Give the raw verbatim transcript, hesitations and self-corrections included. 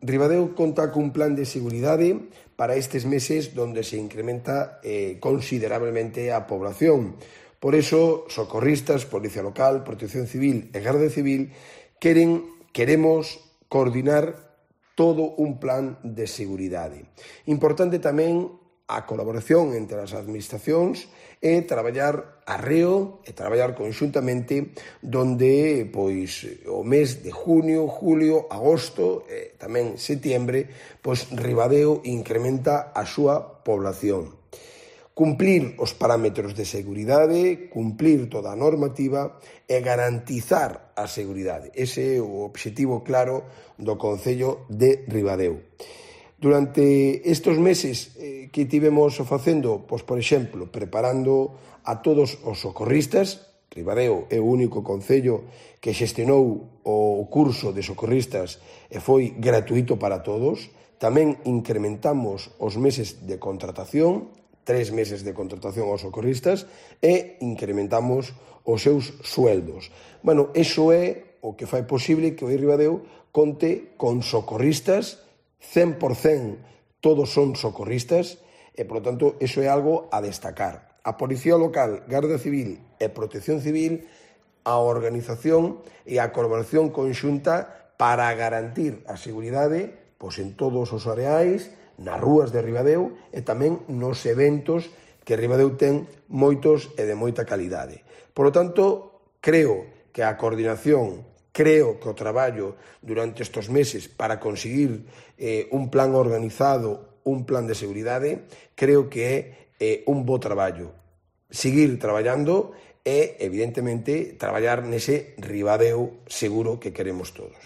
Ribadeo conta cun plan de seguridade para estes meses donde se incrementa eh, considerablemente a población. Por iso, socorristas, Policía Local, Protección Civil e Garda Civil queren, queremos coordinar todo un plan de seguridade. Importante tamén a colaboración entre as administracións e traballar arreo e traballar conxuntamente donde pois o mes de junio, julio, agosto e tamén setiembre, pois Ribadeo incrementa a súa población. Cumplir os parámetros de seguridade, cumplir toda a normativa e garantizar a seguridade. Ese é o obxectivo claro do Concello de Ribadeo. Durante estes meses eh, que tivemos facendo, pois, por exemplo, preparando a todos os socorristas, Ribadeo é o único concello que xestionou o curso de socorristas e foi gratuito para todos. Tamén incrementamos os meses de contratación, tres meses de contratación aos socorristas e incrementamos os seus sueldos. Bueno, iso é o que fai posible que o Ribadeo conte con socorristas cen por cen todos son socorristas e, por lo tanto, iso é algo a destacar. A Policía Local, Garda Civil e Protección Civil, a organización e a colaboración conxunta para garantir a seguridade pois, en todos os areais, nas rúas de Ribadeo e tamén nos eventos que Ribadeo ten moitos e de moita calidade. Por lo tanto, creo que a coordinación Creo que o traballo durante estes meses para conseguir eh, un plan organizado, un plan de seguridade, creo que é eh, un bo traballo. Seguir traballando e, evidentemente, traballar nese Ribadeo seguro que queremos todos.